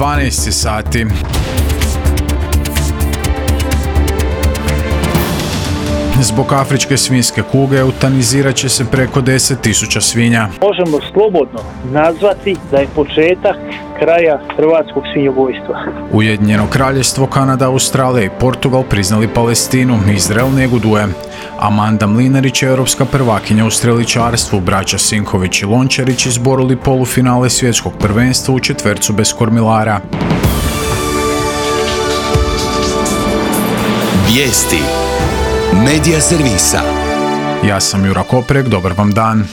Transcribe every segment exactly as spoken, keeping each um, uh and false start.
dvanaest sati. Zbog afričke svinjske kuge eutanizirat će se preko deset tisuća svinja. Možemo slobodno nazvati da je početak kraja hrvatskog svinjogojstva. Ujedinjeno kraljevstvo, Kanada, Australija i Portugal priznali Palestinu, Izrael neguduje. Amanda Mlinarić, europska prvakinja u streličarstvu, braća Sinković i Lončarić izborili polufinale svjetskog prvenstva u četvercu bez kormilara. Vijesti Medija servisa. Ja sam Jura Koprek, dobar vam dan.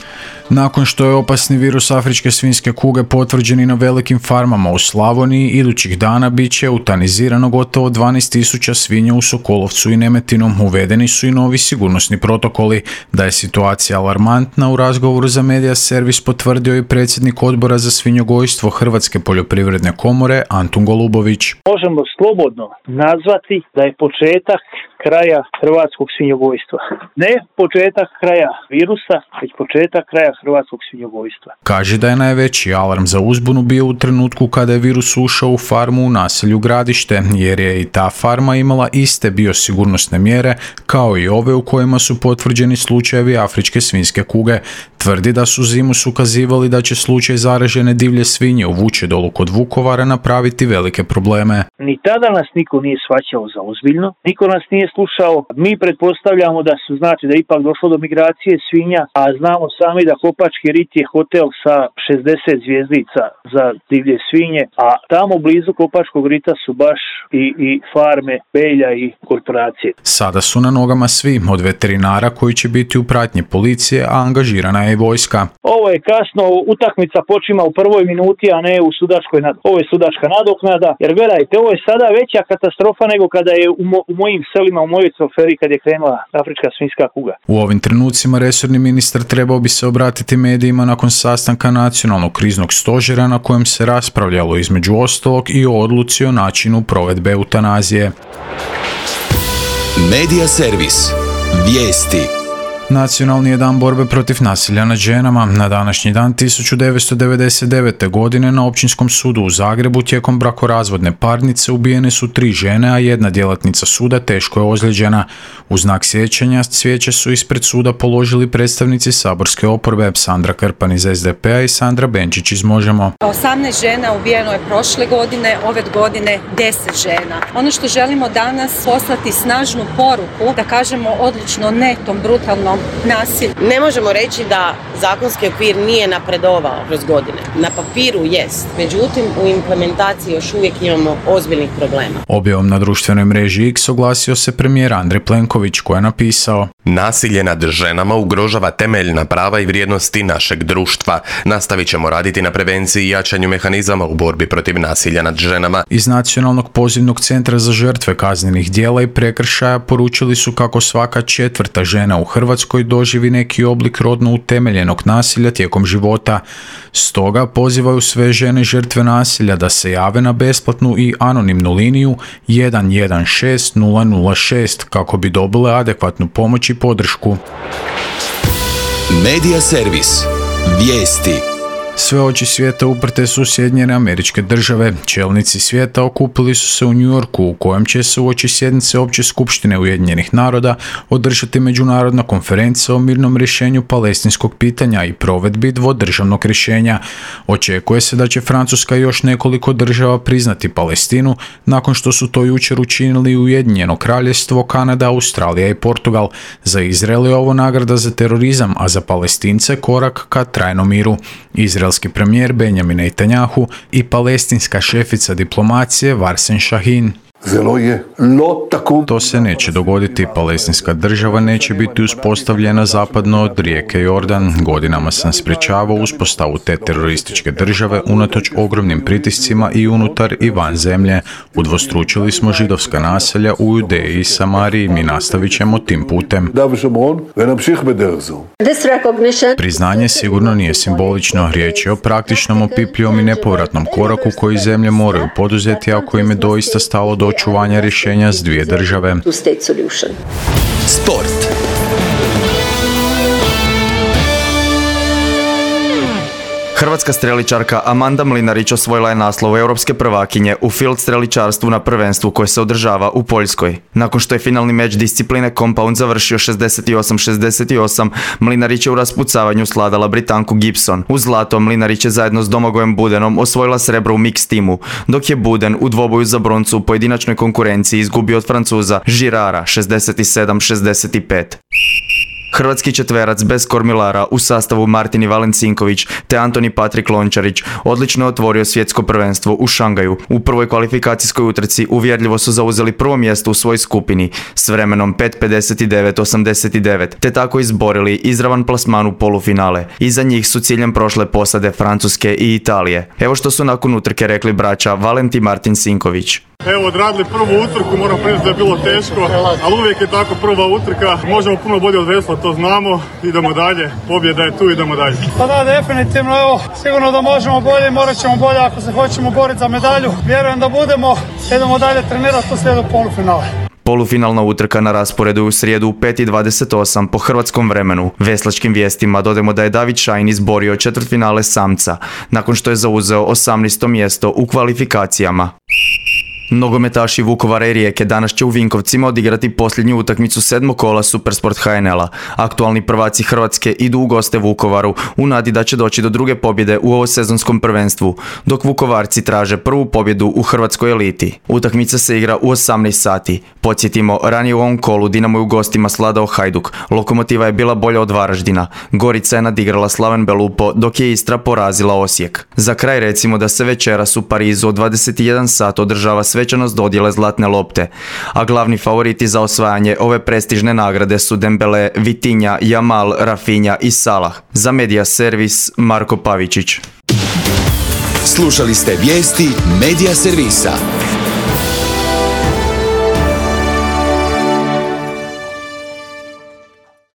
Nakon što je opasni virus afričke svinjske kuge potvrđen i na velikim farmama u Slavoniji, idućih dana bit će eutanizirano gotovo dvanaest tisuća svinja u Sokolovcu i Nemetinu. Uvedeni su i novi sigurnosni protokoli. Da je situacija alarmantna, u razgovoru za Medija servis potvrdio i predsjednik odbora za svinjogojstvo Hrvatske poljoprivredne komore Antun Golubović. Možemo slobodno nazvati da je početak kraja hrvatskog svinjogojstva. Ne početak kraja virusa, već početak kraja hrvatskog svinjogojstva. Kaže da je najveći alarm za uzbunu bio u trenutku kada je virus ušao u farmu u naselju Gradište, jer je i ta farma imala iste biosigurnosne mjere kao i ove u kojima su potvrđeni slučajevi afričke svinjske kuge. Tvrdi da su zimus ukazivali da će slučaj zaražene divlje svinje u Vučedolu kod Vukovara napraviti velike probleme. Ni tada nas niko nije shvaćao za ozbiljno, niko nas nije slušao. Mi pretpostavljamo da su, znači da ipak došlo do migracije svinja, a znamo sami da Kopački rit je hotel sa šezdeset zvjezdica za divlje svinje, a tamo blizu Kopačkog rita su baš i, i farme, belja i korporacije. Sada su na nogama svi, od veterinara koji će biti u pratnji policije, a angažirana je i vojska. Ovo je kasno, utakmica počima u prvoj minuti, a ne u sudačkoj nad... Ovo je sudačka nadoknada, jer gledajte, ovo je sada veća katastrofa nego kada je u, mo, u mojim selima, u mojoj Coferi, kad je krenula afrička svinjska kuga. U ovim trenucima resorni ministar trebao bi se obratiti medijima nakon sastanka nacionalnog kriznog stožera na kojem se raspravljalo između ostalog i o odluci o načinu provedbe eutanazije. Medija servis. Vijesti. Nacionalni je dan borbe protiv nasilja nad ženama. Na današnji dan tisuću devetsto devedeset devete. godine na Općinskom sudu u Zagrebu tijekom brakorazvodne parnice ubijene su tri žene, a jedna djelatnica suda teško je ozlijeđena. U znak sjećanja cvijeće su ispred suda položili predstavnici saborske oporbe Sandra Krpan iz es de pe a i Sandra Benčić iz Možemo. osamnaest žena ubijeno je prošle godine, ove godine deset žena. Ono što želimo danas poslati snažnu poruku, da kažemo odlučno ne tom brutalnom nasilju. Ne možemo reći da zakonski okvir nije napredovao kroz godine. Na papiru jest, međutim u implementaciji još uvijek imamo ozbiljnih problema. Objavom na društvenoj mreži X oglasio se premijer Andrej Plenković koji je napisao: Nasilje nad ženama ugrožava temeljna prava i vrijednosti našeg društva. Nastavit ćemo raditi na prevenciji i jačanju mehanizama u borbi protiv nasilja nad ženama. Iz Nacionalnog pozivnog centra za žrtve kaznenih djela i prekršaja poručili su kako svaka četvrta žena u Hrvatskoj doživi neki oblik rodno utemeljenog nasilja tijekom života. Stoga pozivaju sve žene žrtve nasilja da se jave na besplatnu i anonimnu liniju jedan jedan šest nula nula šest kako bi dobile adekvatnu pomoć i podršku. Medija servis. Vijesti. Sve oči svijeta uprte su Sjedinjene Američke Države. Čelnici svijeta okupili su se u New Yorku, u kojem će se uoči sjednice Opće skupštine Ujedinjenih naroda održati međunarodna konferencija o mirnom rješenju palestinskog pitanja i provedbi dvodržavnog rješenja. Očekuje se da će Francuska i još nekoliko država priznati Palestinu, nakon što su to jučer učinili Ujedinjeno Kraljevstvo, Kanada, Australija i Portugal. Za Izrael je ovo nagrada za terorizam, a za Palestince korak ka trajnom miru. Izraelski premijer Benjamin Netanjahu i palestinska šefica diplomacije Varsen Shahin. To se neće dogoditi. Palestinska država neće biti uspostavljena zapadno od rijeke Jordan. Godinama sam sprječavao uspostavu te terorističke države unatoč ogromnim pritiscima i unutar i van zemlje. Udvostručili smo židovska naselja u Judeji i Samariji. Mi nastavit ćemo tim putem. Priznanje sigurno nije simbolično. Riječ je o praktičnom, opipljivom i nepovratnom koraku koji zemlje moraju poduzeti ako im je doista stalo do očuvanja rješenja s dvije države. Sport. Hrvatska streličarka Amanda Mlinarić osvojila je naslov europske prvakinje u field streličarstvu na prvenstvu koje se održava u Poljskoj. Nakon što je finalni meč discipline Compound završio šezdeset osam šezdeset osam, Mlinarić je u raspucavanju sladala Britanku Gibson. U zlato Mlinarić je zajedno s Domagojem Budenom osvojila srebro u mix timu, dok je Buden u dvoboju za broncu u pojedinačnoj konkurenciji izgubio od Francuza Girara šezdeset sedam šezdeset pet. Hrvatski četverac bez kormilara u sastavu Martini Valencinković te Antoni Patrik Lončarić odlično je otvorio svjetsko prvenstvo u Šangaju. U prvoj kvalifikacijskoj utrci uvjerljivo su zauzeli prvo mjesto u svojoj skupini s vremenom pet pedeset devet osamdeset devet te tako izborili izravan plasman u polufinale. Iza njih su ciljem prošle posade Francuske i Italije. Evo što su nakon utrke rekli braća Valentin Martin Sinković. Evo, odradili prvu utrku, moram priznati da je bilo teško, ali uvijek je tako prva utrka. Možemo puno bolje od vesla, to znamo. Idemo dalje, pobjeda je tu, idemo dalje. Pa da, definitivno, evo, sigurno da možemo bolje i morat ćemo bolje ako se hoćemo boriti za medalju. Vjerujem da budemo, idemo dalje trenirati, to slijede polufinale. Polufinalna utrka na rasporedu u srijedu u pet i dvadeset osam po hrvatskom vremenu. Veslačkim vijestima dodajemo da je David Šajn izborio četvrtfinale samca, nakon što je zauzeo osamnaesto mjesto u kvalifikacijama. Nogometaši Vukovara i Rijeke danas će u Vinkovcima odigrati posljednju utakmicu sedmog kola Supersport H N L-a. Aktualni prvaci Hrvatske idu u goste Vukovaru u nadi da će doći do druge pobjede u ovosezonskom prvenstvu, dok Vukovarci traže prvu pobjedu u hrvatskoj eliti. Utakmica se igra u osamnaest sati. Podsjetimo, ranije u ovom kolu Dinamo je u gostima sladao Hajduk, Lokomotiva je bila bolja od Varaždina, Gorica je nadigrala Slaven Belupo, dok je Istra porazila Osijek. Za kraj recimo da se večeras u Parizu od dvadeset jedan sat održava svečanost dodjele zlatne lopte, a glavni favoriti za osvajanje ove prestižne nagrade su Dembele, Vitinja, Jamal, Rafinha i Salah. Za Media Servis Marko Pavičić. Slušali ste vijesti Media Servisa.